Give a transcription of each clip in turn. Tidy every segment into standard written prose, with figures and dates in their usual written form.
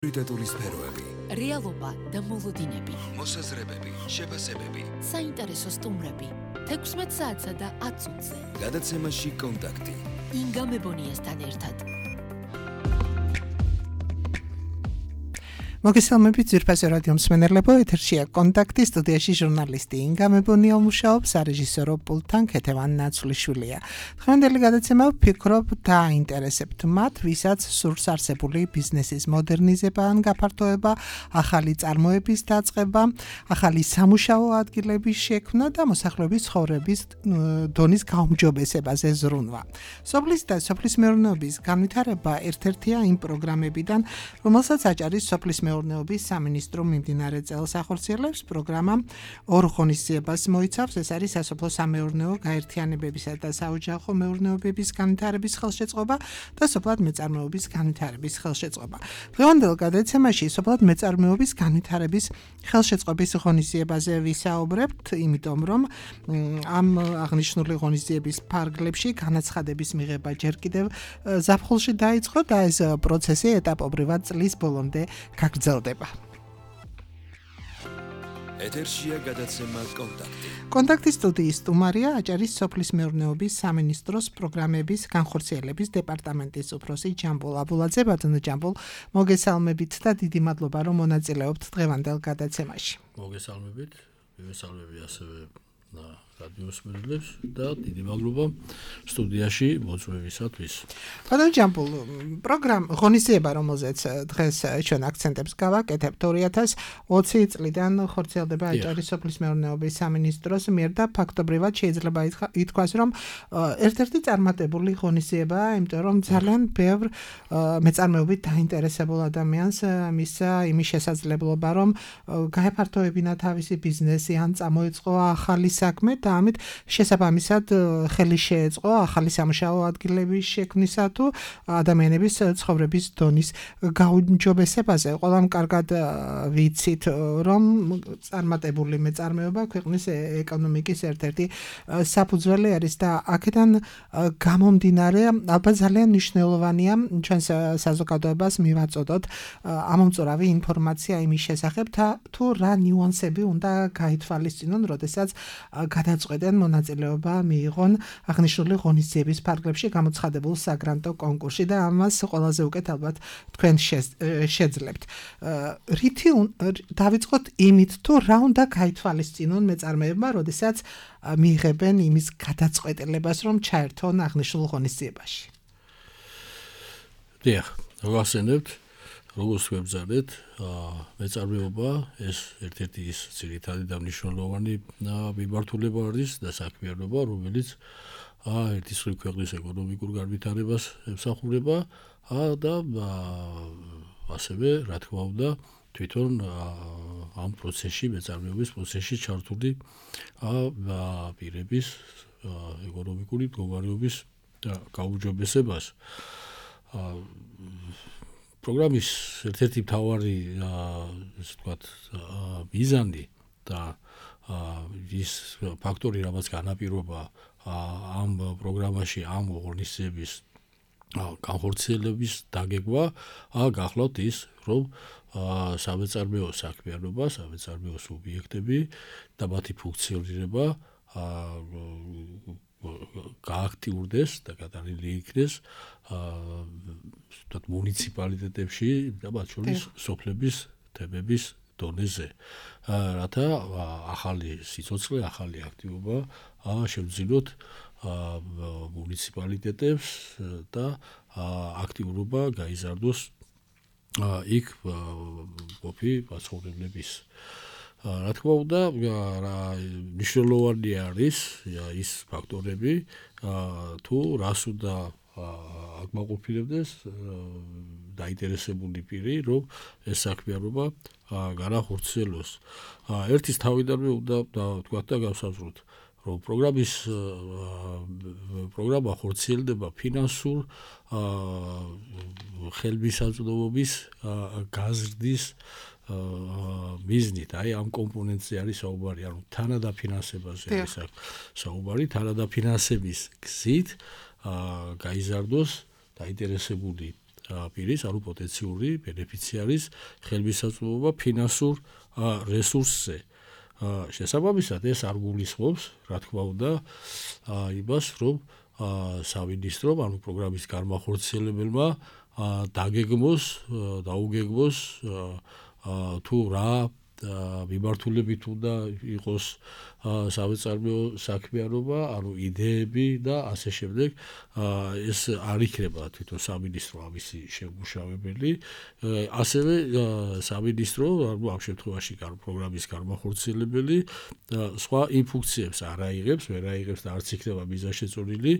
პრიორიტეტული სფეროები, რეალობა და მოლოდინები, მოსაზრებები, შეფასებები, საინტერესო სტუმრები, 16 საათსა და 10 წუთზე. გადაცემაში კონტაქტი. ინგა მებონიასთან ერთად. მოგესალმებით ძვირფასი რადიო მსმენელებო, ეთერშია კონტაქტი, სტუდიაში ჟურნალისტი ინგა მებონია მუშაობს, სარეჟისორო პულტთან ქეთევან ნაცვლიშვილია. დღევანდელი გადაცემა ვფიქრობ დააინტერესებთ მათ, ვისაც სურს არსებული ბიზნესის მოდერნიზება ან გაფართოება, ახალი წარმოების დაწყება, ახალი სამუშაო ადგილების შექმნა და მოსახლეობის ცხოვრების დონის გაუმჯობესებაზე ზრუნვა. სოფლის და სოფლის მეურნეობის განვითარება ერთ-ერთია იმ პროგრამებიდან, რომელსაც აჭარის სოფლის მეურნეობის სამინისტრო მიმდინარე წელს ახორციელებს. პროგრამა ორ ღონისძიებას მოიცავს, ეს არის სასოფლო სამეურნეო გაერთიანებებისა და საოჯახო მეურნეობების განვითარების ხელშეწყობა და სოფლად მეწარმეობის განვითარების ხელშეწყობა. დღევანდელ გადაცემაში სოფლად მეწარმეობის განვითარების ხელშეწყობის ღონისძიებაზე ვისაუბრებთ, იმიტომ რომ ამ აღნიშნული ღონისძიების ფარგლებში განაცხადების მიღება ჯერ კიდევ ზაფხულში დაიწყო და ეს პროცესი ეტაპობრივად წლის ბოლომდე გაგრძელდება. ეთერშია გადაცემა კონტაქტი. კონტაქტის სტუდიის სტუმარია აჭარის სოფლის მეურნეობის სამინისტროს პროგრამების განხორციელების დეპარტამენტის უფროსი ჯამბულ აბულაძე. ბატონო ჯამბულ, მოგესალმებით და დიდი მადლობა რომ მონაწილეობთ დღევანდელ გადაცემაში. მოგესალმებით, მივესალმები ასევე რადიოს მსმენელებს და დიდი მადლობა სტუდიაში მოწვევისათვის. ბატონო ჯამბულ, ღონისძიება, რომელზეც დღეს ჩვენ აქცენტებს გავაკეთებთ, 2020 წლიდან ხორციელდება აჭარის სოფლის მეურნეობის სამინისტროს მიერ და ფაქტობრივად შეიძლება ითქვას, რომ ერთ-ერთი წარმატებული ღონისძიებაა, იმიტომ რომ ძალიან ბევრ მეწარმეობით დაინტერესებულ ადამიანს მისცა იმის შესაძლებლობა, რომ გაეფართოებინა თავისი ბიზნესი ან წამოეწყო ახალი საქმე და ამით შესაბამისად ხელი შეეწყო ახალი სამუშაო ადგილების შექმნისა თუ ადამიანების ცხოვრების დონის გაუმჯობესებაზე. ყველამ კარგად ვიცით, რომ წარმატებული მეწარმეობა ქვეყნის ეკონომიკის ერთ-ერთი საფუძველი არის და აქედან გამომდინარე ალბათ ძალიან მნიშვნელოვანია ჩვენს საზოგადოებას მივაწოდოთ ამომწურავი ინფორმაცია იმის შესახებ თუ რა ნიუანსები უნდა გაითვალისწინონ, როდესაც გადაწყვეტენ მონაწილეობა მიიღონ აღნიშნული ღონისძიების ფარგლებში გამოცხადებულ საგრანტო კონკურსში და ამას ყველაზე უკეთ ალბათ თქვენ შეძლებთ. რითი დავიწყოთ იმით, თუ რა უნდა გაითვალისწინონ მეწარმეებმა, როდესაც მიიღებენ იმის გადაწყვეტილებას, რომ ჩაერთონ აღნიშნულ ღონისძიებაში. დიახ, გავახსენებთ, როგორც ვებზარდეთ, მეწარმეობა ეს ერთ-ერთი ის ძირითადი და მნიშვნელოვანი მიმართულება არის და საქმიანობა, რომელიც ერთის მხრივ ქვეყნის ეკონომიკურ განვითარებას ემსახურება და ასევე, რა თქმა უნდა, თვითონ ამ პროცესში, მეწარმეობის პროცესში ჩართული პირების ეკონომიკური მდგომარეობის გაუმჯობესებას. პროგრამის ერთ-ერთი მთავარი ესე ვთქვათ მიზანი და ის ფაქტორი, რაც განაპირობა ამ პროგრამაში ამ ღონისძიების განხორციელების დაგეგმა გახლავთ ის, რომ სამეწარმეო საქმიანობა, სამეწარმეო სუბიექტები და მათი ფუნქციონირება გააქტიურდეს და გადაღლილი იქნეს მუნიციპალიტეტებში და მათ შორის სოფლების თემების დონეზე, რათა ახალი სიცოცხლე, ახალი აქტივობა შევძინოთ მუნიციპალიტეტებს და აქტიურობა გაიზარდოს იქ ყოფი მაცხოვრებლების. რა თქმა უნდა, მნიშვნელოვანი არის ის ფაქტორები, თუ რას უნდა აკმაყოფილებდეს დაინტერესებული პირი, რომ ეს საქმიანობა განახორციელოს. ერთის თავიდანვე უნდა ვთქვათ და გავსაზღვროთ, რომ პროგრამა ხორციელდება ფინანსურ ხელმისაწვდომობის გაზრდის მიზნით, ამ კომპონენტზე არის საუბარი, ანუ თანადაფინანსებაზე არის საუბარი, თანადაფინანსების გზით გაიზარდოს დაინტერესებული პირის, ანუ პოტენციური ბენეფიციარის ხელმისაწვდომობა ფინანსურ რესურსზე. შესაბამისად ეს არ გულისხმობს, რა თქმა უნდა, იმას, რომ სამინისტრომ, ანუ პროგრამის განმახორციელებელმა დაგეგმოს, დაუგეგმოს თუ რა მიმართულებით უნდა იყოს სამეწარმეო საქმიანობა, ანუ იდეები და ასე შემდეგ. ეს არ იქნება თვითონ სამინისტრო ამისი შემმუშავებელი, ასევე სამინისტრო, ამ შემთხვევაში პროგრამის განმახორციელებელი სხვა იმ ფუნქციებს არ აიღებს, ვერ აიღებს და არც იქნება მიზანშეწონილი,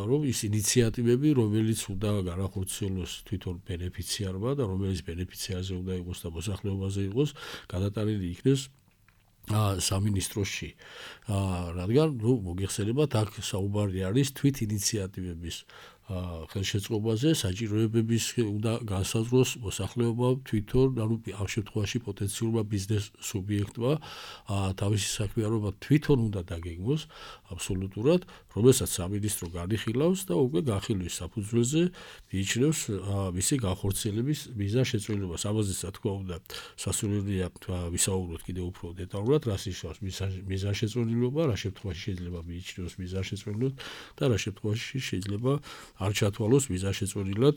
რომ ის ინიციატივები, რომელიც უნდა განახორციელოს თვითონ ბენეფიციარმა და რომელიც ბენეფიციარზე უნდა იყოს და მოსახლეობაზე იყოს, გადატანილი იქნეს სამინისტროში. რადგან მოგეხსენებათ, აქ საუბარი არის თვით ინიციატივების ხელშეწყობაზე, საჭიროებების უნდა განსაზღვროს მოსახლეობა თვითონ, ანუ ამ შემთხვევაში პოტენციურმა ბიზნეს სუბიექტმა თავისი საქმიანობა თვითონ უნდა დაგეგმოს აბსოლუტურად, რომელსაც სამინისტრო განიხილავს და უკვე განხილვის საფუძველზე მიიჩნევს მისი განხორციელების მიზანშეწონილობას. ამაზე რა თქმა უნდა სასურველია ვისაუბროთ კიდევ უფრო დეტალურად, რას ნიშნავს მიზანშეწონილობა, რა შემთხვევაში შეიძლება მიიჩნევოს მიზანშეწონილად და რა შემთხვევაში შეიძლება არ ჩათვალოს მიზანშეწონილად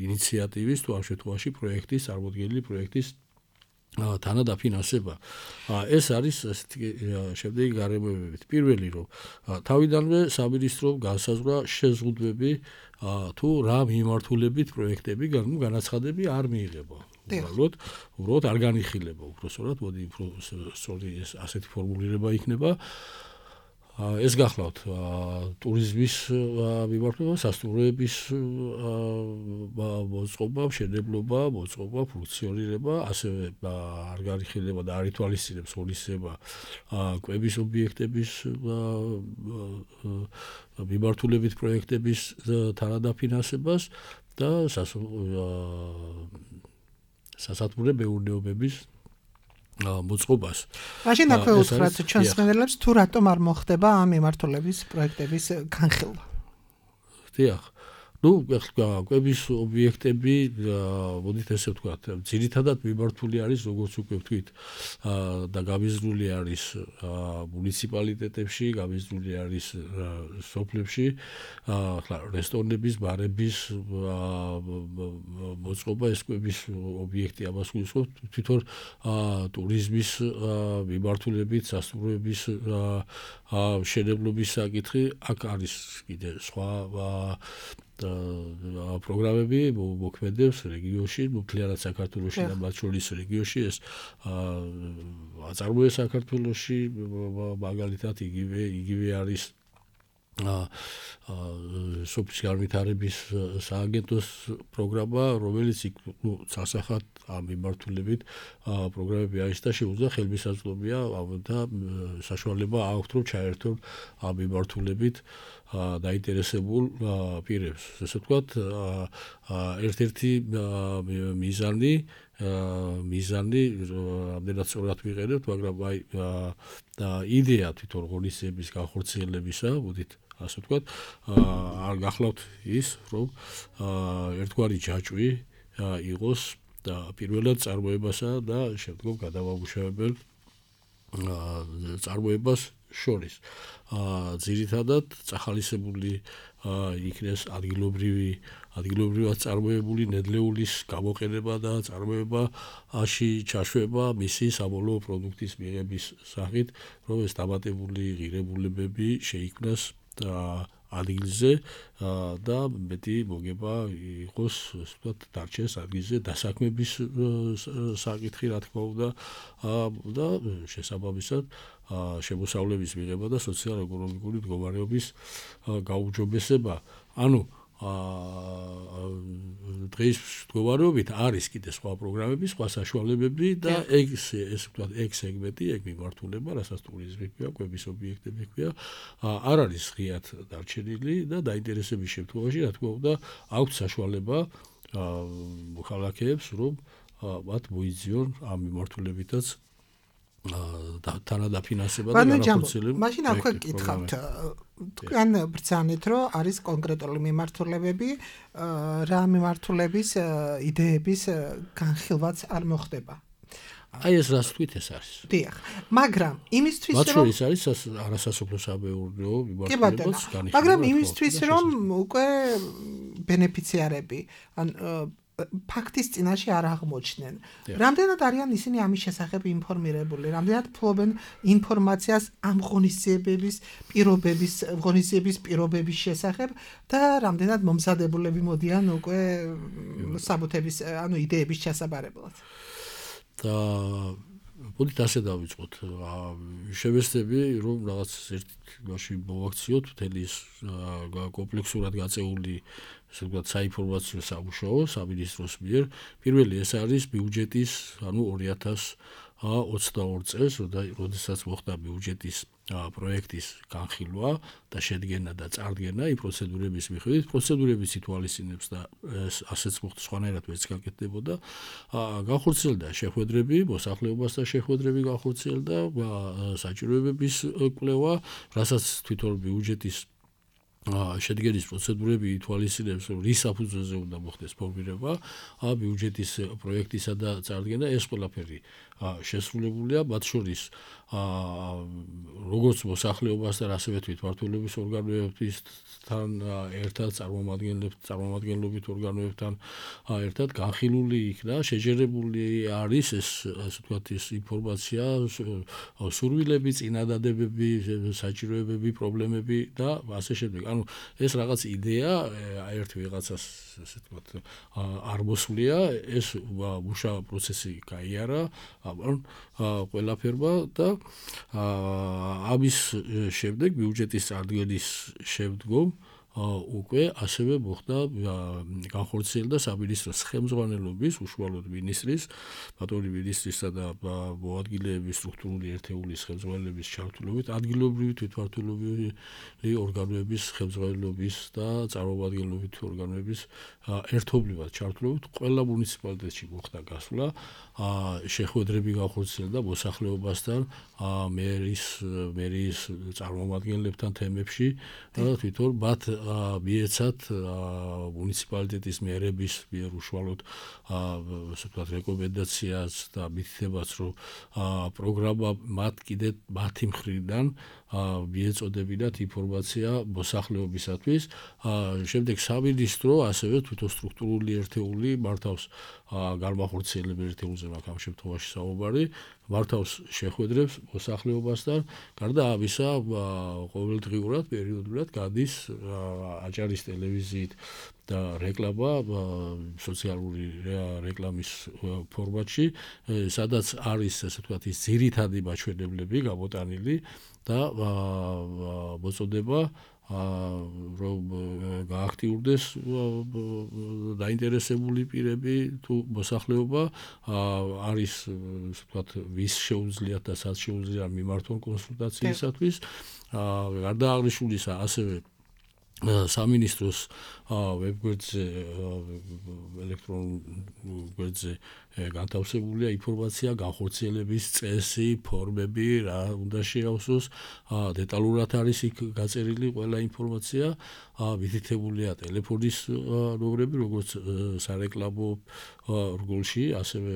ინიციატივის თუ ამ შემთხვევაში პროექტის წარმოდგენილი პროექტის თანადაფინანსება. ეს არის შემდეგი გარემოებებით. პირველი, რომ თავიდანვე სამინისტრომ განსაზღვრა შეზღუდვები თუ რა მიმართულებით პროექტები განაცხადები არ მიიღება. უბრალოდ არ განიხილება, უბრალოდ მოდი უფრო სწორი ასეთი ფორმულირება იქნება. ეს გახლავთ ტურიზმის მიმართულება, სასტუმროების მოწყობა, მშენებლობა, მოწყობა, ფუნქციონირება, ასევე არ განიხილება და არ ითვალისწინებს ღონისძიება კვების ობიექტების მიმართულებით პროექტების თანადაფინანსებას და სასათბურე მეურნეობების მოწყობას. მაშინ აქვე უთხრათ ჩვენს მენელებს თუ რატომ არ მოხდება ამ მიმართულების პროექტების განხილვა. დიახ. კვების ობიექტები, მოდით ესე ვთქვათ, ძირითადად მიმართული არის, როგორც უკვე ვთქვით, და გამიზრული არის მუნიციპალიტეტებში, გამიზრული არის სოფლებში, რესტორნების, ბარების მოწყობა, ეს კვების ობიექტი ამას გულისხმობს, თვითონ ტურიზმის მიმართულებით, სასტუმროების მშენებლობის საკითხი, აქ არის კიდე სხვა პროგრამები მოქმედებს რეგიონში, მთლიანად საქართველოში და მათ შორის რეგიონში ეს აწარმოეს საქართველოში, მაგალითად იგივე არის სოფლის განვითარების სააგენტოს პროგრამა, რომელიც სასახად ამ მიმართულებით პროგრამები არის და შეუძლია ხელმისაწვდომია და საშუალება აქვთ, რომ ჩაერთონ ამ მიმართულებით დაინტერესებულ პირებს. ესე ვთქვათ, ერთ-ერთი მიზანი, ამდენად სწორად ვიყენებთ, მაგრამ იდეა თვითონ ღონისძიების განხორციელებისა, მოდით ასე ვთქვათ, არ გახლავთ ის, რომ ერთგვარი ჯაჭვი იყოს პირველად წარმოებასა და შემდგომ გადამამუშავებელ წარმოებას შორის. ძირითადად წახალისებული იქნეს ადგილობრივად წარმოებული ნედლეულის გამოყენება და წარმოებაში ჩაშვება მისი საბოლოო პროდუქტის მიღების სახით, რომ ეს დამატებული ღირებულებები შეიქმნას ადგილზე და მეტი მოგება იყოს, ასე ვთქვათ, დარჩეს ადგილზე დასაქმების საკითხი, რა თქმა უნდა, და შესაბამისად შემოსავლების მიღება და სოციალურ-ეკონომიკური მდგომარეობის გაუმჯობესება. ანუ დღის მდგომარეობით არის კიდე სხვა პროგრამები, სხვა საშუალებები და ეგ სეგმენტი, ეგ მიმართულება, რასაც ტურიზმი ქვია, კვების ობიექტები ქვია, არ არის ღიად დარჩენილი და დაინტერესების შემთხვევაში, რა თქმა უნდა, აქვთ საშუალება მოქალაქეებს, რომ მათ მოიძიონ ამ მიმართულებითაც თანადაფინანსება და განახორციელება. მაშინ აქვე გკითხავთ, თქვენ ბრძანეთ, რომ არის კონკრეტული მიმართულებები, რა მიმართულების იდეების განხილვაც არ მოხდება. აი ეს რას თქვით ეს არის. დიახ, მაგრამ იმისთვის რომ ის არის არასასოფლო საბეურნეო მიმართულებაც განიხილვა. მაგრამ იმისთვის რომ უკვე ბენეფიციარები ან ფაქტის წინაშე არ აღმოჩნდნენ. რამდენად არიან ისინი ამის შესახებ ინფორმირებული, რამდენად ფლობენ ინფორმაციას ამ ღონისძიების პირობების შესახებ და რამდენად მომზადებულები მოდიან უკვე საბუთების, ანუ იდეების ჩასაბარებლად. და მოდით ასე დავიწყოთ. შევეცდები რომ რაღაც ერთ მაშინ მოვაქციოთ მთელი ის კომპლექსურად გაწეული ესე ვთქვათ საინფორმაციო სამუშაო სამინისტროს მიერ. პირველი ეს არის ბიუჯეტის, ანუ 2022 წელს, როდესაც მოხდა ბიუჯეტის პროექტის განხილვა და შედგენა და წარდგენა იმ პროცედურების მიხედვით, პროცედურების ითვალისწინებს და ასეც მოხდა, სხვანაირად ვერც გაკეთდებოდა. განხორციელდა შეხვედრები, მოსახლეობასთან შეხვედრები განხორციელდა, საჭიროებების კვლევა, რასაც თვითონ ბიუჯეტის შედგენის პროცედურები ითვალისწინებს, რომ რის საფუძველზე უნდა მოხდეს ფორმირება ბიუჯეტის პროექტისა და წარდგენა, ეს ყველაფერი შესრულებულია, მათ შორის როგორც მოსახლეობასთან, ასევე თვითმმართველობის ორგანოებთან ერთად, წარმომადგენლობით ორგანოებთან ერთად განხილული იქნა, შეჯერებული არის ეს ასე ვთქვათ ის ინფორმაცია, სურვილები, წინადადებები, საჭიროებები, პრობლემები და ასე შემდეგ. ანუ ეს რაღაც იდეა ერთ ვიღაცას ასე ვთქვათ არ მოსვლია, ეს მუშა პროცესი გაიარა ყველაფერმა და ამის შემდეგ ბიუჯეტის წარდგენის შემდგომ უკვე ასევე მოხდა განხორციელდა სამინისტროს ხელმძღვანელობის უშუალოდ მინისტრის, ბატონი მინისტრისა და მოადგილეების სტრუქტურული ერთეულის ხელმძღვანელების ჩართულობით, ადგილობრივი თვითმმართველობელი ორგანოების ხელმძღვანელობის და წარმომადგენლობით ორგანოების ერთობლივად ჩართულობით ყველა მუნიციპალიტეტში მოხდა გასვლა, შეხვედრები განხორციელდა მოსახლეობასთან, მერიის წარმომადგენლებთან თემებში და თვითონ მათ მიეცათ მუნიციპალიტეტის მერების მიერ უშუალოდ ასე ვთქვათ რეკომენდაციას და მითითებას, რომ პროგრამა მათი მხრიდან მიეწოდებინათ ინფორმაცია მოსახლეობისათვის. შემდეგ სამინისტრო ასევე თვითონ სტრუქტურული ერთეული მართავს განმახორციელებელ ერთეულზე მაქვს ამ შემთხვევაში საუბარი, მართავს შეხვედრებს მოსახლეობასთან, გარდა ამისა ყოველდღიურად პერიოდულად გადის აჭარის ტელევიზიით და რეკლამა სოციალური რეკლამის ფორმატში, სადაც არის ასე ვთქვათ ის ძირითადი მაჩვენებლები გამოტანილი და მოწოდება რომ გააქტიურდეს დაინტერესებული პირები თუ მოსახლეობა არის ასე ვთქვათ ვის შეუძლიათ და სად შეუძლიათ მიმართონ კონსულტაციისათვის. გარდა აღნიშნულისა ასევე სამინისტროს ვებგვერდზე ელექტრონულ გვერდზე განთავსებულია ინფორმაცია, განხორციელების წესი, ფორმები, რა უნდა შეავსოს, დეტალურად არის იქ გაწერილი ყველა ინფორმაცია, მითითებულია ტელეფონის ნომრები, როგორც სარეკლამო რგოლში, ასევე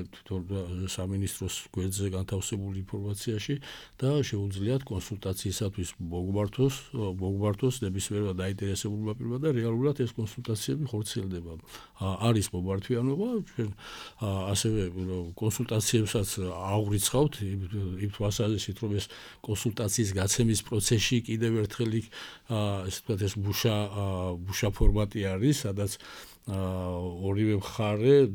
სამინისტროს გვერდზე განთავსებული ინფორმაციაში და შეუძლიათ კონსულტაციისათვის მოგმართოს ნებისმიერმა დაინტერესებულმა პირმა და რეალურად ეს კონსულტაციები ხორციელდება. არის მომართვიანობა, ჩვენ ასევე კონსულტაციებსაც აღვიცხავთ იმ თვალსაზრისით, რომ ეს კონსულტაციის გაცემის პროცესში კიდევ ერთხელ ესე ვთქვათ ეს მუშა ფორმატი არის, სადაც ორივე მხარე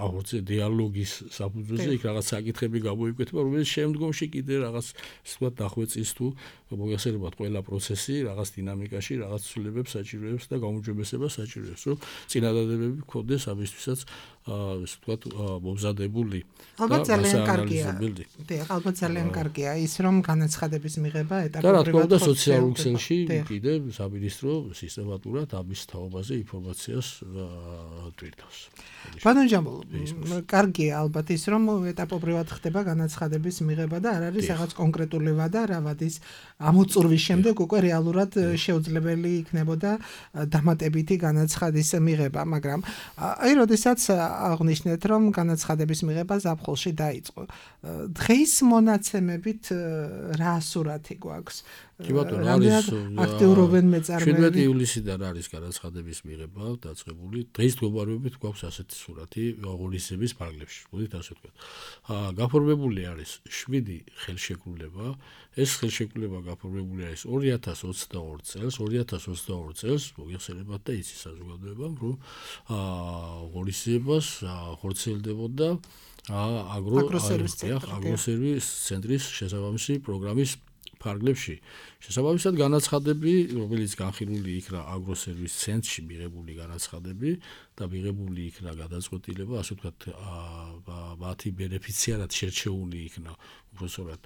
აღორძე დიალოგის საფუძველზე იქ რაღაც საკითხები გამოიკვეთა, რომელიც შემდგომში კიდე რაღაც ასე ვთქვათ დახვეწის თუ მოგესალმებათ ყველა პროცესი რაღაც დინამიკაში, რაღაც ცვლილებებს საჭიროებს და გაუმჯობესებას საჭიროებს, რომ წინადადებები გქონდეს ამისთვისაც ასე ვთქვათ მომზადებული. ალბათ ძალიან კარგია. დიახ, ალბათ ძალიან კარგია ის, რომ განაცხადების მიღება ეტაპობრივად და რა თქმა უნდა სოციალურ ქსელში კიდე სამინისტრო სისტემატურად ამის თაობაზე ინფორმაციას ტვირთავს. ბატონო ჯამბულ, კარგია ალბათ ის რომ ეტაპობრივად ხდება განაცხადების მიღება და არ არის რაღაც კონკრეტული ვადა რა ვადის ამოწურვის შემდეგ უკვე რეალურად შეუძლებელი იქნებოდა დამატებითი განაცხადის მიღება, მაგრამ აი როდესაც აღნიშნეთ რომ განაცხადების მიღება ზაფხულში დაიწყო. დღეს მონაცემებით რა სურათი გვაქვს? კი ბატონო, არის აქტიურობენ მეწარმეები. 17 ივლისიდან არის განაცხადების მიღება დაწყებული. დღის მდგომარეობით გვაქვს ასეთი სურათი ღონისძიების ფარგლებში. მოდით ასე ვთქვათ. გაფორმებული არის 7 ხელშეკრულება. ეს ხელშეკრულება გაფორმებული არის 2022 წელს. 2022 წელს მოგეხსენებათ და იცის საზოგადოებამ, რომ ღონისძიებას ხორციელდებოდა აგროსერვის ცენტრის შესაბამისი პროგრამის ფარგლებში. შესაბამისად განაცხადები, რომელიც განხილული იქნა აგროსერვის ცენტრში მიღებული განაცხადები და მიღებული იქნა გადაწყვეტილება, ასე ვთქვათ, მათი ბენეფიციარად შერჩეული იქნა უბრალოდ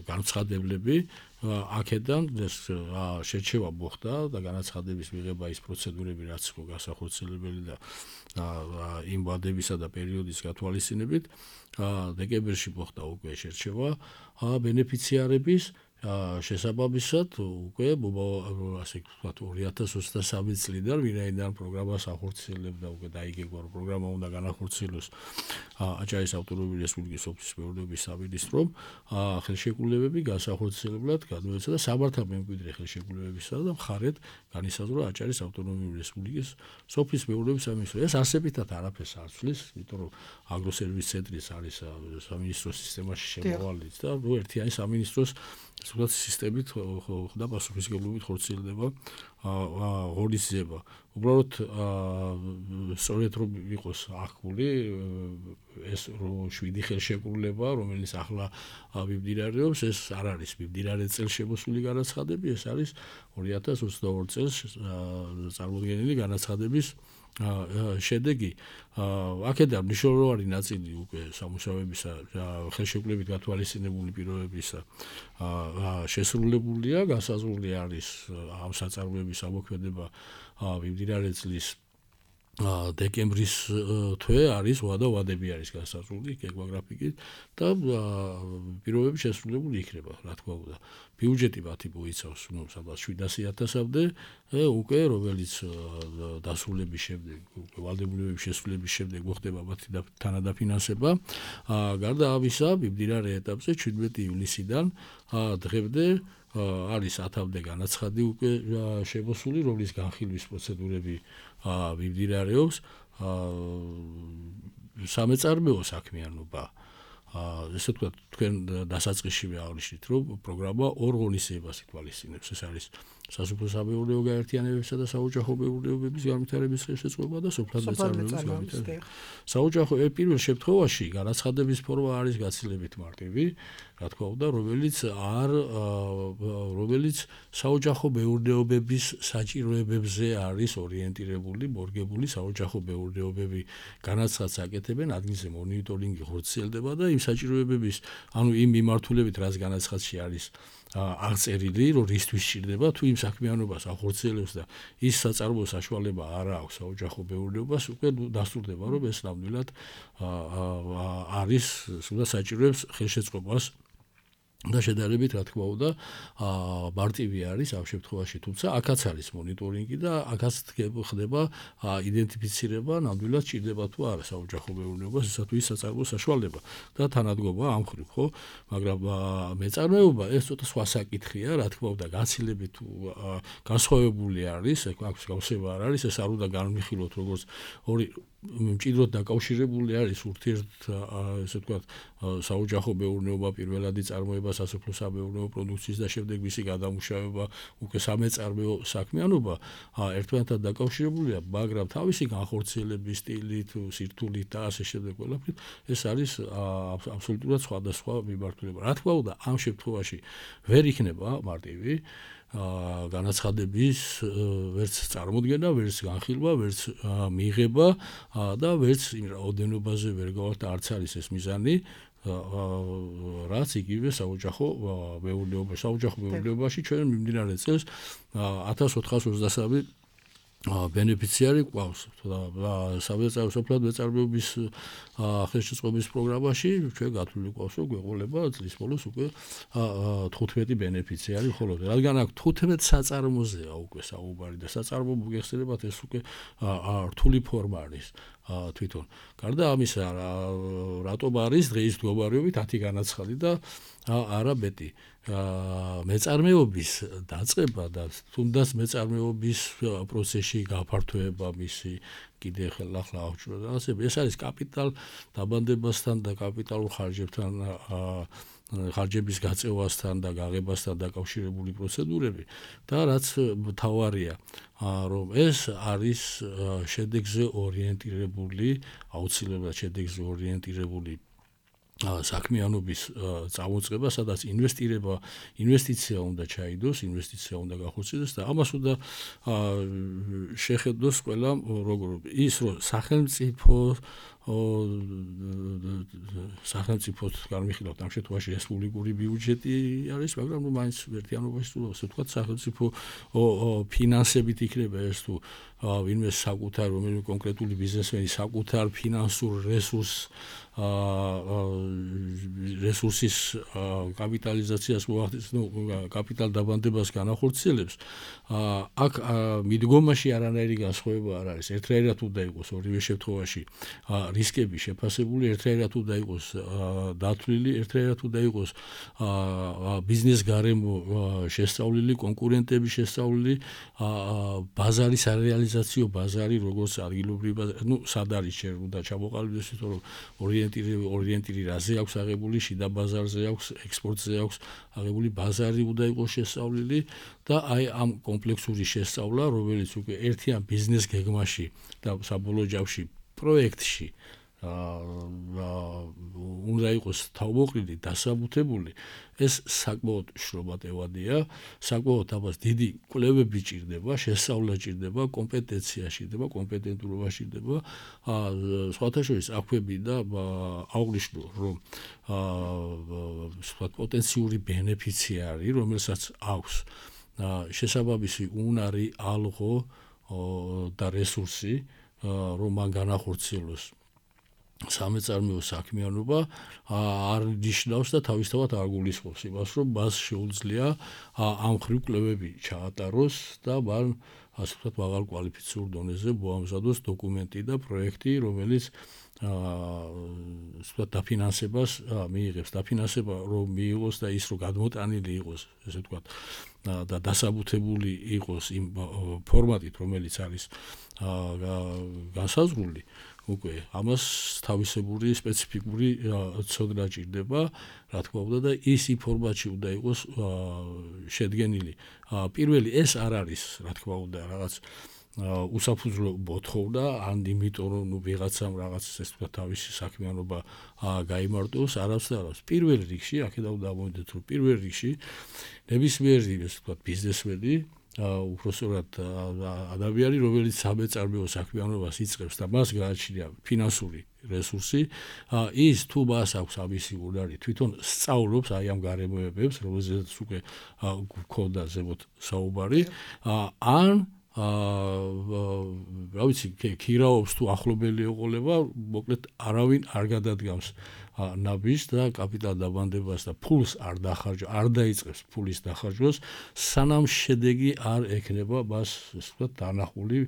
განცხადებლები. აქედან ეს შერჩევა მოხდა და განაცხადების მიღება ის პროცედურები, რაც გასახორციელებელი და იმ ვადებისა და პერიოდის გათვალისწინებით დეკემბერში მოხდა უკვე შერჩევა ბენეფიციარების შესაბამისად უკვე ასე ვთქვათ 2023 წლიდან ვინაიდან პროგრამას ახორციელებდა უკვე დაიგეგმა რომ პროგრამა უნდა განახორციელოს აჭარის ავტონომიური რესპუბლიკის სოფლის მეურნეობის სამინისტრომ ხელშეკრულებები განსახორციელებლად გადმოეცა და სამართა მემკვიდრე ხელშეკრულებისა და მხარეთ განისაზღვრა აჭარის ავტონომიური რესპუბლიკის სოფლის მეურნეობის სამინისტრო. ეს არსებითად არაფერს არ ცვლის, იმიტომ რომ აგროსერვის ცენტრის არის სამინისტროს სისტემაში შემოვალიც და ერთიანი სამინისტროს სულ სისტემით და პასუხისმგებლობით ხორციელდება ღონისძიება. უბრალოდ სწორედ რომ იყოს აღქმული ეს 7 ხელშეკრულება, რომელიც ახლა მიმდინარეობს, ეს არ არის მიმდინარე წელს შემოსული განაცხადები, ეს არის 2022 წელს წარმოდგენილი განაცხადების შედეგი. აქედან მნიშვნელოვანი ნაწილი უკვე სამუშაოებისა ხელშეკრულებით გათვალისწინებული პირობებისა შესრულებულია, განსაზღვრული არის ამ საწარმოების ამოქმედება მიმდინარე წლის დეკემბრის თვე არის ვადები არის განსაზღვრული გეოგრაფიკით და პირობები შესრულებული იქნება, რა თქმა უნდა. ბიუჯეტი მათი მოიცავს სადღაც 700.000-მდე, უკვე რომელიც დასრულების შემდეგ, უკვე ვალდებულებების შესრულების შემდეგ მოხდება მათი თანადაფინანსება. გარდა ამისა, მიმდინარე ეტაპზე 17 ივლისიდან დღემდე არის 1000-მდე განაცხადი უკვე შემოსული, რომლის განხილვის პროცედურები მიმდინარეობს. სამეწარმეო საქმიანობა ესე ვთქვათ, თქვენ დასაწყისშივე აღნიშნით, რომ პროგრამა ორ ღონისძიებას ითვალისწინებს. ეს არის სასოფლო-სამეურნეო გაერთიანებებისა და საოჯახო მეურნეობების განვითარების ხელშეწყობა და სოფლად მეწარმეობის განვითარება. საოჯახო პირველ შემთხვევაში განაცხადების ფორმა არის გაცილებით მარტივი, რა თქმა უნდა, რომელიც საოჯახო მეურნეობების საჭიროებებზე არის ორიენტირებული, მორგებული. საოჯახო მეურნეობები განაცხადს აკეთებენ, ადგილზე მონიტორინგი ხორციელდება და იმ საჭიროებების, ანუ იმ მიმართულებით, რაც განაცხადში არის აღწერილი, რომ რისთვის სჭირდება, თუ იმ საქმიანობას ახორციელებს და ის საწარმოო საშუალება არ აქვს საოჯახო მეურნეობას, უკვე დასტურდება, რომ ეს ნამდვილად არის სულაც საჭიროებს ხელშეწყობას და შედარებით, რა თქმა უნდა, მარტივი არის ამ შემთხვევაში, თუმცა აქაც არის მონიტორინგი და აქაც ხდება იდენტიფიცირება, ნამდვილად სჭირდება თუ არა საოჯახო მეურნეობას, ისათვის საწარმოო საშუალება და თანადგომა ამ ხრივ, ხო? მაგრამ მეწარმეობა ეს ცოტა სხვა საკითხია, რა თქმა უნდა, გაცილებით განსხვავებული არის, აქ გავსება არ არის, ეს არ უნდა განვიხილოთ როგორც ორი მჭიდროდ დაკავშირებული არის ურთიერთ ესე ვთქვათ საოჯახო მეურნეობა, პირველადი წარმოება სასოფლო-სამეურნეო პროდუქციის და შემდეგ მისი გადამუშავება, უკვე სამეწარმეო საქმიანობა ერთმანეთთან დაკავშირებულია, მაგრამ თავისი განხორციელების სტილით, სირთულით და ასე შემდეგ ყველაფრით ეს არის აბსოლუტურად სხვადასხვა მიმართულება. რა თქმა უნდა, ამ შემთხვევაში ვერ იქნება მარტივი განაცხადების ვერც წარმოდგენა, ვერც განხილვა, ვერც მიღება და ვერც იმ რაოდენობაზე ვერ გავართ, არც არის ეს მიზანი, რაც იგივე საოჯახო მეურნეობაში ჩვენ მიმდინარე წელს 1423 ბენეფიციარი ყავს და სოფლად მეწარმეობის ხელშეწყობის პროგრამაში ჩვენ გათვლილი ყავს რომ გვეყოლება წლის ბოლოს უკვე 15 ბენეფიციარი ხოლო რადგან აქ 15 საწარმოზეა უკვე საუბარი და საწარმო მოგეხსენებათ ეს უკვე რთული ფორმა არის თვითონ გარდა ამისა რატომ არის დღეის მდგომარეობით 10 განაცხადი და არა მეტი მეწარმეობის დაწყება და თუნდაც მეწარმეობის პროცესში გაფართოება მისი კიდე ახლა აღჭურვა და ასე ეს არის კაპიტალ დაბანდებასთან და კაპიტალურ ხარჯებთან ხარჯების გაწევასთან და გაღებასთან დაკავშირებული პროცედურები და რაც მთავარია რომ ეს არის შედეგზე ორიენტირებული აუცილებლად შედეგზე ორიენტირებული საქმიანობის წამოწყება, სადაც ინვესტიცია უნდა ჩაიდოს, ინვესტიცია უნდა გახორციელდეს და ამას უნდა შეხედოს ყველა როგორ ის რომ სახელმწიფოს განვიხილავთ ამ შემთხვევაში რესპუბლიკური ბიუჯეტი არის, მაგრამ ნუ მაინც ერთიანობაში თუ ასე ვთქვათ, სახელმწიფო ფინანსებით იქნება ეს თუ ვინმე საკუთარ რომელიმე კონკრეტული ბიზნესმენი საკუთარ ფინანსურ რესურსის კაპიტალიზაციას მოახდენს, ნუ კაპიტალ დაბანდებას განახორციელებს, აქ მიდგომაში არანაირი განსხვავება არ არის. ერთნაირად უნდა იყოს ორივე შემთხვევაში რისკები შეფასებული, ერთნაირად უნდა იყოს დათვლილი, ერთნაირად უნდა იყოს ბიზნეს გარემო შესწავლილი, კონკურენტები შესწავლილი, ბაზარის არეალიზაციო ბაზარი როგორც ადგილობრივი, ნუ სად არის შენ უნდა ჩამოყალიბდეს, იმიტომ რომ ორიენტირი რაზე აქვს აღებული, შიდა ბაზარზე აქვს, ექსპორტზე აქვს აღებული ბაზარი უნდა იყოს შესწავლილი და აი ამ კომპლექსური შესწავლა, რომელიც უკვე ერთიან ბიზნეს გეგმაში და საბოლოო ჯამში პროექტში უნდა იყოს თავმოყრილი, დასაბუთებული, ეს საკმაოდ შრომატევადია, საკმაოდ ამას დიდი კვლევები ჭირდება, შესწავლა ჭირდება, კომპეტენცია ჭირდება, კომპეტენტურობა ჭირდება, სხვათა შორის აქვები და აღვნიშნო, რომ პოტენციური ბენეფიციარი, რომელსაც აქვს შესაბამისი უნარი, ალღო და რესურსი, რომ მან განახორციელოს სამეწარმეო საქმიანობა არ ნიშნავს და თავისთავად არ გულისხმობს იმას, რომ მას შეუძლია ამ მხრივ კვლევები ჩაატაროს და მან ასე ვთქვათ მაღალ კვალიფიციურ დონეზე მოამზადოს დოკუმენტი და პროექტი, რომელიც დაფინანსებას მიიღებს, დაფინანსება რომ მიიღოს და ის რომ გადმოტანილი იყოს, ესე ვთქვათ და დასაბუთებული იყოს იმ ფორმატით, რომელიც არის განსაზღვრული, უკვე ამას თავისებური სპეციფიკური ცოდნა ჭირდება, რა თქმა უნდა და ის იმ ფორმატში უნდა იყოს შედგენილი. პირველი ეს არ არის, რა თქმა უნდა, რაღაც უსაფუძვლო მოთხოვნა, ან იმიტომ რომ ნუ ვიღაცამ რაღაც ეს თქვა თავისი საქმიანობა გაიმარტოს, არავს და არავს. პირველ რიგში, აქედან დავმოვიდეთ, რომ პირველ რიგში ნებისმიერი ეს თქვა ბიზნესმენი უпроსტად ადამიანი, რომელიც სამეწარმეო საქმიანობას იწყებს და მას გააჩნია ფინანსური რესურსი, ის თუ მას აქვს ამისი უნარი, თვითონ სწავლობს აი ამ გარემოებებს, რომელზეც უკვე გქონდა ზემოთ საუბარი, ან რა ვიცი, ქირაობს თუ ახლობელი ეყოლება, მოკლედ არავინ არ გადადგამს ნაბიჯს და კაპიტალ დაბანდებას და ფულს არ დაიწყებს ფულის დახარჯვას, სანამ შედეგი არ ექნება მას, ასე ვთქვათ, დანახული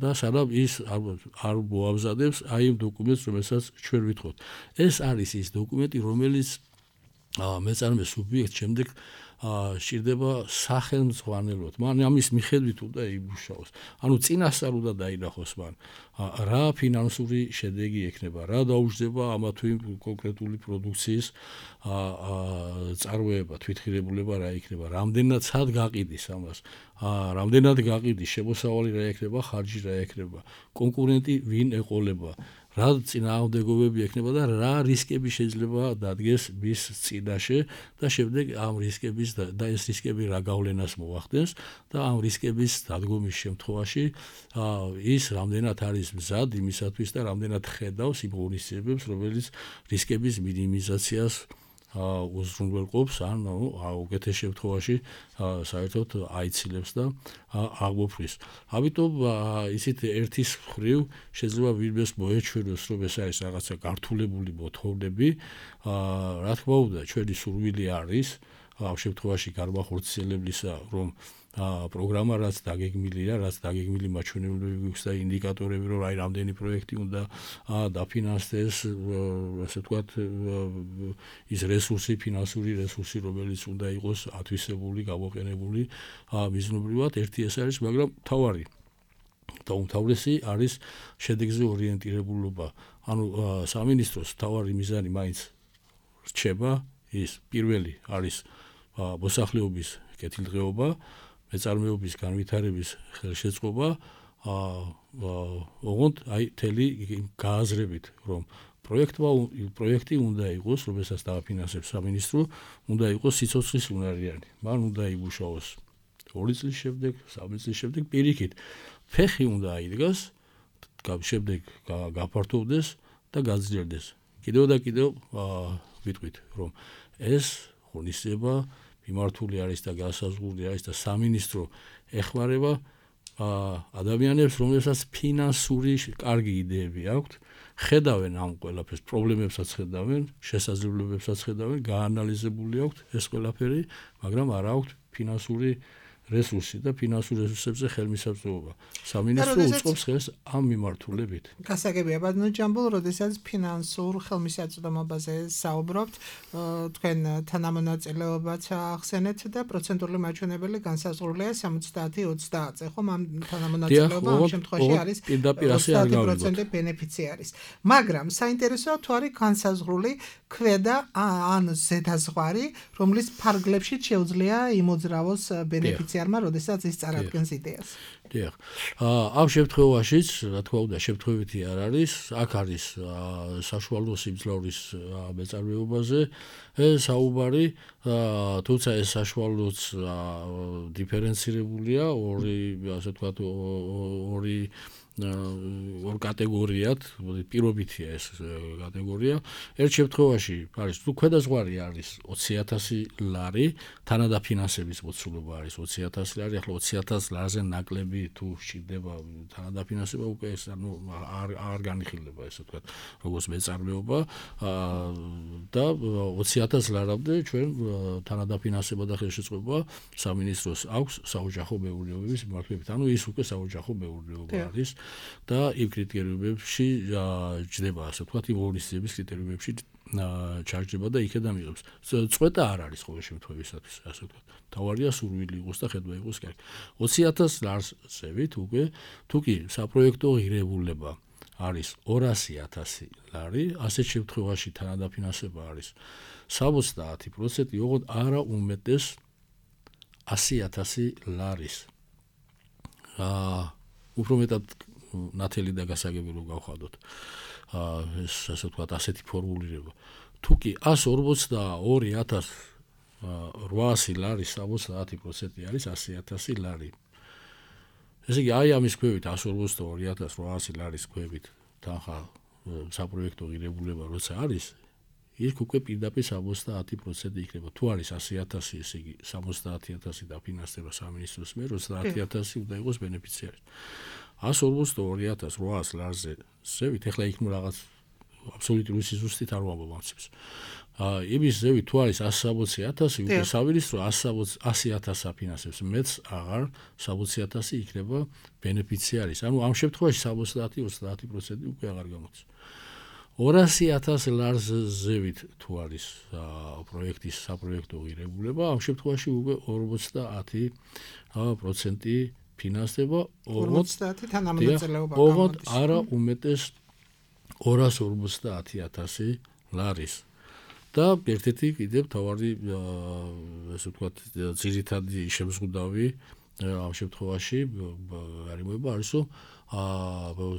და სანამ ის არ მოამზადებს აი იმ დოკუმენტს, რომელსაც ჩვენ ვითხოვთ. ეს არის ის დოკუმენტი, რომელიც მეწარმე სუბიექტს შემდეგ სჭირდება სახელმძღვანელოდ. მან ამის მიხედვით უნდა იმუშაოს. ანუ წინასწარ უნდა დაინახოს მან რა ფინანსური შედეგი ექნება, რა დაუჯდება ამა თუ იმ კონკრეტული პროდუქციის წარმოება, თვითღირებულება რა იქნება, რამდენად სად გაყიდის ამას, რამდენად გაყიდის, შემოსავალი რა ექნება, ხარჯი რა ექნება, კონკურენტი ვინ ეყოლება, რა წინააღმდეგობები ექნება და რა რისკები შეიძლება დადგეს მის წინაშე და შემდეგ ამ რისკების და ეს რისკები რა გავლენას მოახდენს და ამ რისკების დადგომის შემთხვევაში ის რამდენად არის მზად იმისათვის და რამდენად ხედავს იმ ღონისძიებებს, რომელიც რისკების მინიმიზაციას უზრუნველყოფს ან უკეთეს შემთხვევაში საერთოდ აიცილებს და აღმოფხვის. ამიტომ ისეთ ერთის მხრივ შეიძლება ვინმეს მოეჩვენოს, რომ ეს არის რაღაცა გართულებული მოთხოვნები, რა თქმა უნდა, ჩვენი სურვილი არის ამ შემთხვევაში განმახორციელებლისა, რომ პროგრამა რაც დაგეგმილია, რაც დაგეგმილი მაჩვენებელები გვაქვს და ინდიკატორები, რომ აი რამდენი პროექტი უნდა დაფინანსდეს, ასე ვთქვათ, ის რესურსი, ფინანსური რესურსი, რომელიც უნდა იყოს ათვისებული, გამოყენებული მიზნობრივად, ერთი ეს არის, მაგრამ თავარი და უმთავრესი არის შედეგზე ორიენტირებულობა. ანუ სამინისტროს თავარი მიზანი მაინც რჩება, ის პირველი არის მოსახლეობის კეთილდღეობა, მეწარმეობის განვითარების ხელშეწყობა, ოღონდ აი თელი გააზრებით, რომ პროექტი უნდა იყოს, რომელსაც დააფინანსებს სამინისტრო, უნდა იყოს სიცოცხლის უნარიანი. მან უნდა იმუშაოს 2 წლის შემდეგ, 3 წლის შემდეგ პირიქით. ფეხი უნდა აიდგას, შემდეგ გაფართოვდეს და გაძლიერდეს. კიდევ და კიდევ ვიტყვით, რომ ეს ღონისძიება მიმართული არის და განსაზღვრული არის და სამინისტრო ეხმარება ადამიანებს, რომელსაც ფინანსური კარგი იდეები აქვთ, ხედავენ ამ ყველაფერს, პრობლემებსაც ხედავენ, შესაძლებლობებსაც ხედავენ, გაანალიზებული აქვთ ეს ყველაფერი, მაგრამ არ აქვთ ფინანსური რესურსი და ფინანსურ რესურსებზე ხელმისაწვდომობა. სამინისტრო უწყობს ხელს ამ მიმართულებით. გასაგებია, ბატონო ჯამბულ, როდესაც ფინანსურ ხელმისაწვდომობაზე საუბრობთ, თქვენ თანამონაწილეობაც ახსენეთ და პროცენტული მაჩვენებელი განსაზღვრულია 70-20-ზე, ხომ? ამ თანამონაწილეობა ამ შემთხვევაში არის 30% ბენეფიციარის. მაგრამ საინტერესოა თუ არის განსაზღვრული ქვედა ან ზედაზღვარი, რომლის ფარგლებში შეუძლია იმოძრავოს ბენეფიციარმა, როდესაც ის წარადგენს იდეას. დიახ. ამ შემთხვევაშიც, რა თქმა უნდა, შემთხვევითი არ არის, აქ არის საშუალო სიმძლავრის მეწარმეობაზე საუბარი, თუმცა ეს საშუალოც დიფერენცირებულია, ასე ვთქვათ, ორ კატეგორიად, პირობითია ეს კატეგორია. ერთ შემთხვევაში არის, თუ ქვედაზღვარი არის 20,000 ლარი, თანადაფინანსების მოცულობა არის 20,000 ლარი, ახლა 20,000 ლარზე ნაკლები თუ სჭირდება თანადაფინანსება, უკვე ეს არ განიხილება, ესე ვთქვათ, როგორც მეწარმეობა და 20,000 ლარამდე ჩვენ თანადაფინანსება და ხელშეწყობა სამინისტროს აქვს საოჯახო მეურნეობების მიმართულებით. ანუ ის უკვე საოჯახო მეურნეობა არის. და იმ კრიტერიუმებში ჯდება, ასე ვთქვათ, იმ ღონისძიების კრიტერიუმებში ჩარჯდება და იქედან მიღებს. წვეტა არ არის ყოველ შემთხვევისათვის, ასე ვთქვათ. თავარია სურვილი იყოს და ხედვა იყოს კარგი. 20,000 ლარზევით უკვე თუ კი საპროექტო ღირებულება არის 200,000 ლარი, ასეთ შემთხვევაში თანადაფინანსება არის 70%, ოღონდ არა უმეტეს 100,000 ლარის. უფრო მეტად ნათელი და გასაგები რომ გავხადოთ. ეს ასე ვთქვათ, ასეთი ფორმულირება. თუ კი 142,800 ლარი 70% არის 100,000 ლარი. ესე იგი, აი ამის ქვევით 142,800 ლარის ქვევით თანხა საპროექტო ღირებულება როცა არის, იქ უკვე პირდაპირ 70% იქნება. თუ არის 100,000, ესე იგი 70,000 დაფინანსდება სამინისტროს მიერ, 30,000 უნდა იყოს ბენეფიციარი. 142,800 ლარზე ზევით, ეხლა იქ რაღაც აბსოლუტური სიზუსტით არ ვამბობ ამცებს. იმის ზევით თუ არის 160,000, უკვე სამინისტრო 100,000 აფინანსებს, მეც აღარ 60,000 იქნება ბენეფიციარის. ანუ ამ შემთხვევაში 70-30% უკვე აღარ გამოდის. 200,000 ლარზევით თუ არის პროექტის საპროექტო ღირებულება, ამ შემთხვევაში უკვე 50% ფინანსდება, 50 თანამონაწილეობა გამოდის. არა უმეტეს 250,000 ლარის. და ერთ-ერთი კიდევ თავარი, ასე ვთქვათ, ძირითადი შემზღუდავი ამ შემთხვევაში არის, რომ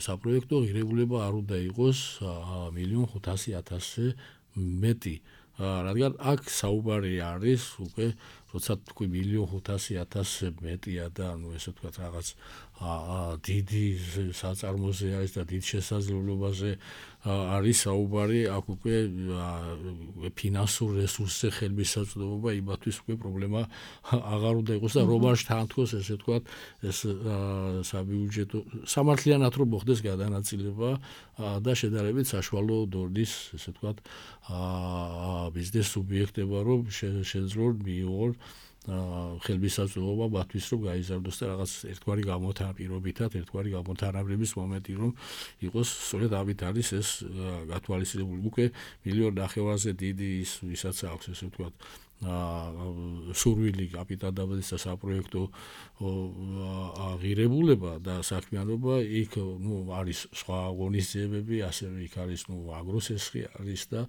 საპროექტო ღირებულება არ უნდა იყოს 1,500,000-ზე მეტი. რადგან აქ საუბარი არის უკვე, როცა თქვი 1.500.000 მეტია და ანუ ესე ვთქვათ რაღაც დიდი საწარმოზე არის და დიდ შესაძლებლობაზე არის საუბარი, აქ უკვე ფინანსურ რესურსზე ხელმისაწვდომობა იმათვის უკვე პრობლემა აღარ უნდა იყოს და რომ არ შთანთქოს ესე ვთქვათ ეს საბიუჯეტო სამართლიანად რომ მოხდეს გადანაწილება და შედარებით საშუალო დონის ესე ვთქვათ ბიზნეს სუბიექტებმა რომ შეძლონ მიიღონ ხელმისაწვდომობა მათთვის რომ გაიზარდოს და რაღაც ერთგვარი გამოთანაპირობითად ერთგვარი გამოთანაბრების მომენტი რომ იყოს სწორედ ამით არის ეს გათვალისწინებული უკვე 1.5 მილიონზე დიდი ისაც აქვს ესე ვთქვათ სურვილი კაპიტალდაბადის და საპროექტო აღირებულება და საქმიანობა იქ არის სხვა ღონისძიებები ასევე იქ არის აგროსესხი არის და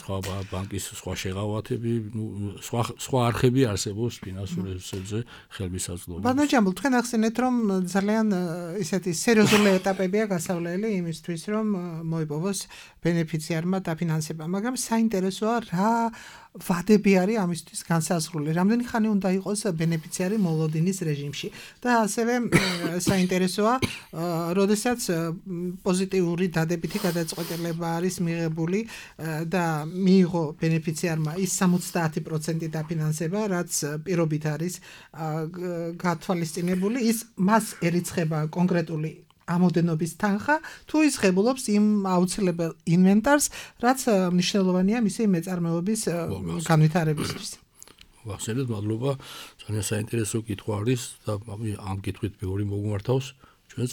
სხვა ბანკის სხვა შეღავათები სხვა არხები არსებობს ფინანსურ რესურსებზე ხელმისაწვდომობა. ბატონო ჯამბულ, თქვენ ახსენეთ რომ ძალიან ისეთი სერიოზული ეტაპებია გასავლელი იმისთვის რომ მოიპოვოს ბენეფიციარმა დაფინანსება, მაგრამ საინტერესოა რა ვადები არის ამისთვის განსაზღვრული, რამდენი ხანი უნდა იყოს ბენეფიციარი მოლოდინის რეჟიმში და ასევე საინტერესოა, როდესაც პოზიტიური დადებითი გადაწყვეტილება არის მიღებული და მიიღო ბენეფიციარმა ის 70% დაფინანსება, რაც პირობით არის გათვალისწინებული, ის მას ერიცხება კონკრეტული ამოდენობის თანხა თუ ის ღებულობს იმ აუცილებელ ინვენტარს, რაც მნიშვნელოვანია მისი მეწარმეობის განვითარებისთვის. ვახსენეთ, მადლობა, ძალიან საინტერესო კითხვა არის და ამ კითხვით მეორე მოგმართავს ჩვენს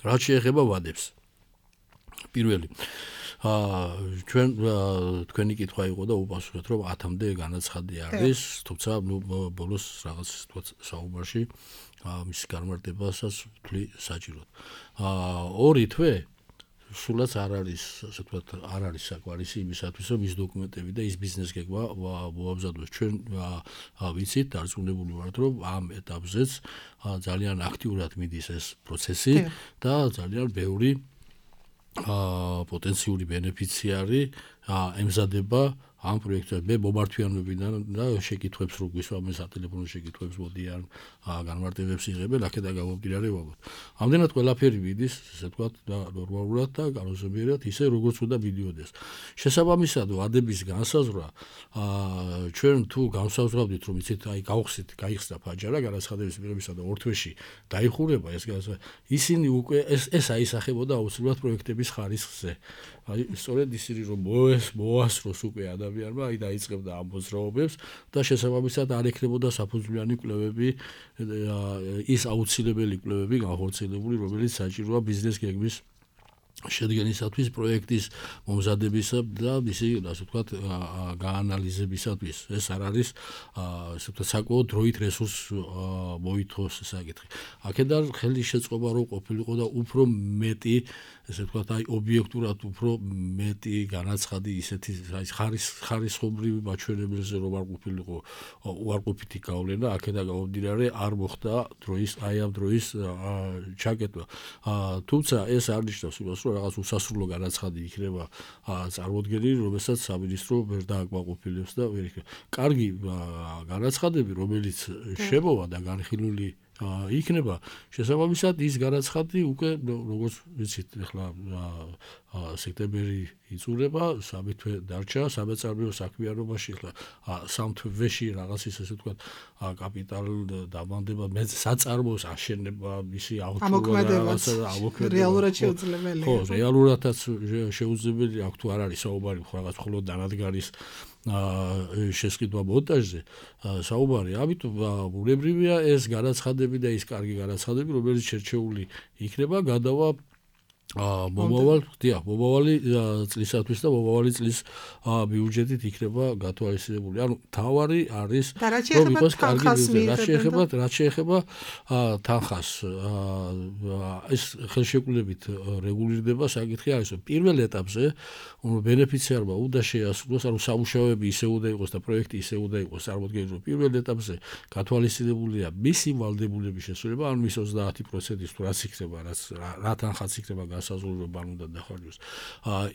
რაც შეეხება ვადებს. პირველი ჩვენ თქვენი კითხვა იყო და უპასუხეთ რომ 10-მდე განაცხადი არის, თუმცა ბოლოს რაღაც საუბარში მის განმარტებასაც ვთვლი საჭიროდ. 2 თვე სულაც არ არის, ასე ვთქვათ, არ არის საკმარისი იმისათვის, რომ ის დოკუმენტები და ის ბიზნეს გეგმა მოამზადოს. ჩვენ ვიცით, დარწმუნებული ვართ, რომ ამ ეტაპზეც ძალიან აქტიურად მიდის ეს პროცესი და ძალიან ბევრი პოტენციური ბენეფიციარი ემზადება ამ პროექტზე. მე მომართვიანობიდან და შეკითხვებს რო გვისვამენ სატელეფონო შეკითხვებს მოდიან, განმარტებებს იღებენ, აქედან გამომდინარე ვაბოთ. ამდენად ყველაფერი მიდის, ესე ვთქვათ, და ნორმალურად და განსაზღვრულად ისე როგორც უნდა მიდიოდეს. შესაბამისად, ვადების განსაზღვრა ჩვენ თუ განსაზღვრავდით, რომ იცით, აი გავხსით, გაიხსნა ფაჯარა განაცხადების მიღებისა და 2 თვეში დაიხურება ეს განსაზღვრა, ისინი უკვე ეს აისახებოდა აუცილებლად პროექტების ხარისხზე. აი სწორედ ისინი რომ მოასწროს უკვე ადამიანმა, აი დაიწყებდა ამ მოძრაობებს და შესაბამისად არ ექნებოდა საფუძვლიანი კვლევები, ის აუცილებელი კვლევები განხორციელებული, რომელიც საჭიროა ბიზნეს გეგმის შედგენისათვის, პროექტის მომზადებისა და მისი, ასე ვთქვათ, გაანალიზებისათვის. ეს არ არის, ასე ვთქვათ, საკმაოდ დროით რესურს მოითხოვს საკითხი. აქედან ხელი შეწყობა რომ ყოფილიყო და უფრო მეტი, ესე ვთქვათ, აი ობიექტურად უფრო მეტი განაცხადი ისეთი ხარისხობრივი მაჩვენებელზე რომ არ ყოფილიყო უარყოფითი გავლენა, აქედან გამომდინარე არ მოხდა აი ამ დროის ჩაკეტვა. თუმცა ეს არ ნიშნავს იმას, რომ რაღაც უსასრულო განაცხადი იქნება წარმოდგენილი, რომელსაც სამინისტრო ვერ დააკმაყოფილებს და ვერ იქნება. კარგი განაცხადები, რომელიც შემოვა და განხილული იქნება, შესაბამისად ის განაცხადი უკვე როგორც ვიცით, ახლა სექტემბერი იწურება, 3 თვე დარჩა სამეწარმეო საქმიანობაში, ახლა 3 თვეში რაღაც ისე ვთქვათ, კაპიტალ დამანდება, საწარმოს აშენება, მისი ამოქმედება რეალურად შეუძლებელია. ხო, რეალურადაც შეუძლებელი აქ თუ არ არის საუბარი რაღაც მხოლოდ დანადგარის შესყიდვა მონტაჟზე საუბარი, ამიტომ ბუნებრივია ეს განაცხადები და ის კარგი განაცხადები, რომელიც შერჩეული იქნება, გადავა მომავალი წლისათვის და მომავალი წლის ბიუჯეტით იქნება გათვალისწინებული. ანუ თავარი არის რომ იყოს კარგი ბიუჯეტი. რაც შეეხება თანხას, ეს ხელშეკრულებით რეგულირდება საკითხი არის, რომ პირველ ეტაპზე ბენეფიციარმა უნდა შეასრულოს, ანუ სამუშაოები ისე უნდა იყოს და პროექტი ისე უნდა იყოს წარმოდგენილი, რომ პირველ ეტაპზე გათვალისწინებულია მისი ვალდებულების შესრულება, ანუ მის 30%-ის თუ რაც იქნება, რა თანხაც იქნება გასაზრდელობა უნდა დახარჯოს.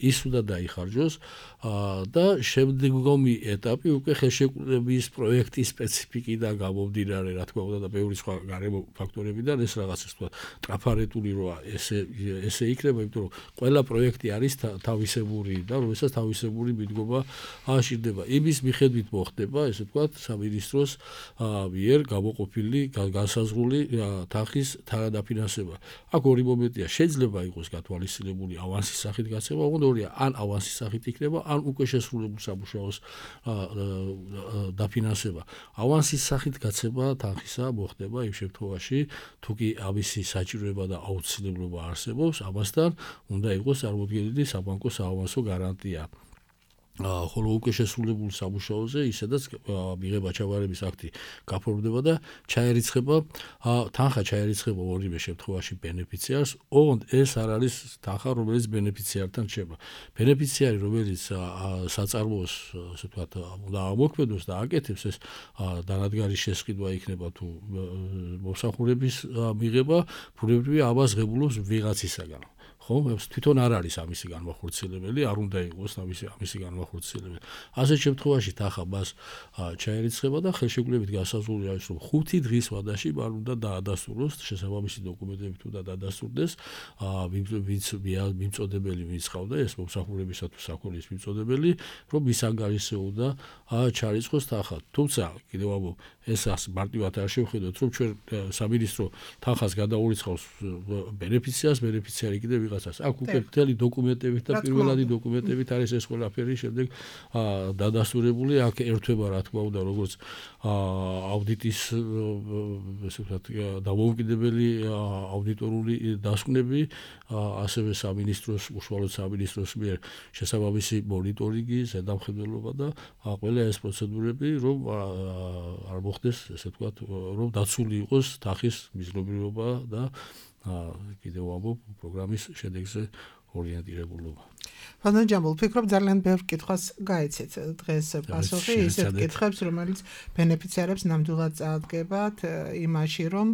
ის უნდა დაიხარჯოს და შემდგომი ეტაპი უკვე ხელშეკრულების პროექტის სპეციფიკიდან გამომდინარე, რა თქმა უნდა და ბევრი სხვა გარემო ფაქტორებიდან ეს რაღაცა თქვა ტრაფარეტული როა ესე იქნება, იმიტომ რომ ყველა პროექტი არის თავისებური და რომელსაც თავისებური მიდგომა აშირდება. იმის მიხედვით მოხდება, ესე ვთქვათ, სამინისტროს მიერ გამოყოფილი განსაზღვრული თანხის თანადაფინანსება. აქ ორი მომენტია, შეიძლება იყოს გათვალისწინებული ავანსის სახით გაცემა, ოღონდ ორია, ან ავანსის სახით იქნება, ან უკვე შესრულებულ სამუშაოს დაფინანსება. ავანსის სახით გაცემა თანხისა მოხდება იმ შემთხვევაში, თუ კი ამისი საჭიროება და აუცილებლობა არსებობს, ამასთან უნდა იყოს წარმოდგენილი საბანკო საავანსო გარანტია. ხოლო უკვე შესრულებულ სამუშაოზე ისედაც მიღება ჩავარების აქტი გაფორმდება და ჩაერიცხება თანხა ჩაერიცხება ორივე შემთხვევაში ბენეფიციარს, ოღონდ ეს არ არის თანხა, რომელიც ბენეფიციართან რჩება. ბენეფიციარი, რომელიც საწარმოოს, ასე ვთქვათ, უნდა ამოქმედოს და აკეთებს, ეს დანადგარის შესყიდვა იქნება თუ მომსახურების მიღება, ბუნებრივია ამას ღებულობს ვიღაცისაგან. ხო, თვითონ არ არის ამისი განმახორციელებელი, არ უნდა იყოს ამისი განმახორციელებელი. ასეთ შემთხვევაში თანხა მას ჩაერიცხება და ხელშეკრულებით განსაზღვრული არის, რომ 5 დღის ვადაში მან უნდა დაადასტუროს შესაბამისი დოკუმენტებით უნდა დაადასტურდეს მიმწოდებელი ვინც ყავდა ეს მომსახურებისა თუ საქონლის მიმწოდებელი, რომ მის ანგარიშზე უნდა ჩარიცხოს თანხა. თუმცა კიდევ ამბობ, ეს მარტივად არ შევხედოთ, რომ ჩვენ სამინისტრო თანხას გადაურიცხავს ბენეფიციარს, ბენეფიციარი კიდევ ვიღაცას. აქ უკვე მთელი დოკუმენტებით და პირველადი დოკუმენტებით არის ეს ყველაფერი შემდეგ დადასტურებული. აქ ერთვება, რა თქმა უნდა, როგორც აუდიტის ესე ვთქვათ, დამოუკიდებელი აუდიტორული დასკვნები, ასევე სამინისტროს, უშუალოდ სამინისტროს მიერ შესაბამისი მონიტორინგი, ზედამხედველობა და ყველა ეს პროცედურები, რომ არ მოხდეს, ესე ვთქვათ, რომ დაცული იყოს თანხის მიზნობრიობა და კიდევ ამბობ პროგრამის შედეგზე ორიენტირებულობა. Pardon, Jambul, ფიქრობ ძალიან ბევრ კითხვას გაეცეთ დღეს პასუხი ისეთ კითხვებს, რომელიც ბენეფიციარებს ნამდვილად წაადგებათ იმაში, რომ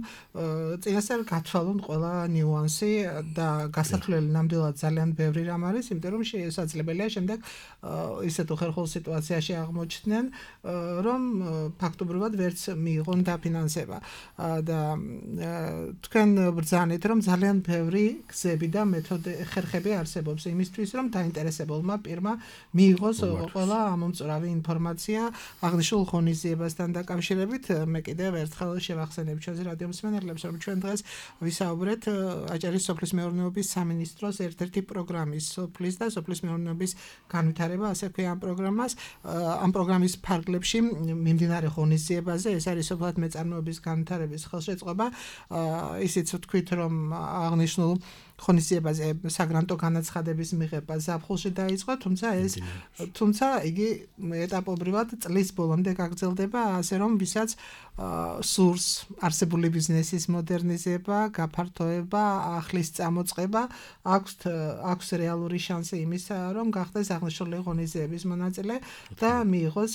წინასწარ გათვალონ ყველა ნიუანსი და გასათვლელი ნამდვილად ძალიან ბევრი რამ არის, იმიტომ რომ შესაძლებელია შემდეგ ისეთ უხერხულ სიტუაციაში აღმოჩნდნენ, რომ ფაქტობრივად ვერც მიიღონ დაფინანსება და თქვენ ბრძანეთ, რომ ძალიან ბევრი გზები და ხერხები არსებობს იმისთვის, რომ დაინტერესებულმა პირმა მიიღოს ყველა ამომწურავი ინფორმაცია აღნიშნულ ღონისძიებასთან დაკავშირებით. მე კიდევ ერთხელ შევახსენებ ჩვენს რადიო მსმენელებს, რომ ჩვენ დღეს ვისაუბრეთ აჭარის სოფლის მეურნეობის სამინისტროს ერთ-ერთი პროგრამის სოფლის და სოფლის მეურნეობის განვითარება, ასე ქვია ამ პროგრამას. ამ პროგრამის ფარგლებში მიმდინარე ღონისძიებაზე, ეს არის სოფლად მეწარმოების განვითარების ხელშეწყობა. ისიც ვთქვით, რომ აღნიშნულ ღონისძიებაზე საგრანტო განაცხადების მიღება ზაფხულში დაიწყო, თუმცა იგი ეტაპობრივად წლის ბოლომდე გაგრძელდება, ასე რომ ვისაც სურს არსებული ბიზნესის მოდერნიზება, გაფართოება, ახლის წამოწყება, აქვს რეალური შანსი იმისა, რომ გახდეს აღნიშნული ღონისძიების მონაწილე და მიიღოს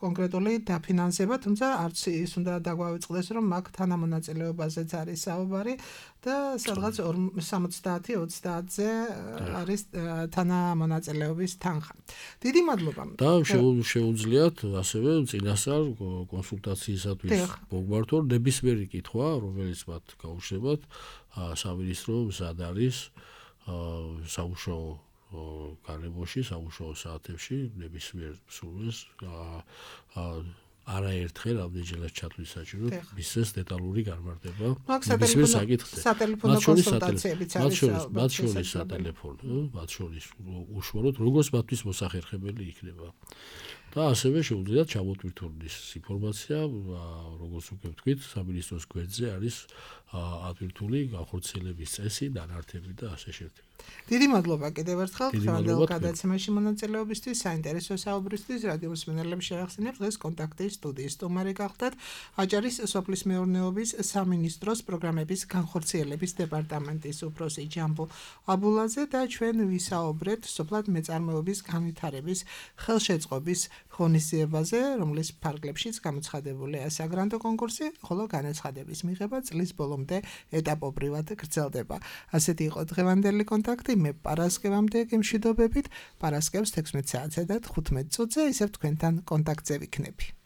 კონკრეტული დაფინანსება, თუმცა არც ის უნდა დაგვავიწყდეს, რომ აქ თანამონაწილეობაზეც არის საუბარი და სადღაც 70-30-ზე არის თანამონაწილეობის თანხა. დიდი მადლობა. და შეუძლიათ ასევე წინასწარ კონსულტაციისათვის მოგმართონ ნებისმიერი კითხვა, რომელიც მათ გაუშვებათ, სამინისტრო მზად არის სამუშაო გარემოში, სამუშაო საათებში ნებისმიერ სურვილს არაერთხელ ამდენჯერაც ჩათვლის საჭირო მისცეს დეტალური განმარტება ნებისმიერ საკითხზე. სატელეფონო კონსულტაციებიც არის. მათ შორის სატელეფონო, მათ შორის უშუალოდ როგორც მათთვის მოსახერხებელი იქნება. და ასევე შეუძლიათ ჩამოტვირთონ ის ინფორმაცია, როგორც უკვე ვთქვით, სამინისტროს გვერდზე არის ატვირთული განხორციელების წესი, დანართები და ასე შემდეგ. დიდი მადლობა კიდევ ერთხელ ხანდელ გადაცემაში მონაწილეობისთვის, საინტერესო საუბრისთვის. რადიო მსმენელებს შევახსენებ, დღეს კონტაქტის სტუდიის სტუმარი გახლდათ აჭარის სოფლის მეურნეობის სამინისტროს პროგრამების განხორციელების დეპარტამენტის უფროსი ჯამბულ აბულაძე და ჩვენ ვისაუბრეთ სოფლად მეწარმოების განვითარების ხელშეწყობის ღონისძიებაზე, რომლის ფარგლებშიც გამოცხადებულია საგრანტო კონკურსი, ხოლო განაცხადების მიღება წლის ბოლომდე ეტაპობრივად გრძელდება. ასეთი იყო დღევანდელი კონტაქტი, მე პარასკევამდე გემშვიდობებით, პარასკევს 16 საათსა და 15 წუთზე ისევ თქვენთან კონტაქტზე ვიქნები.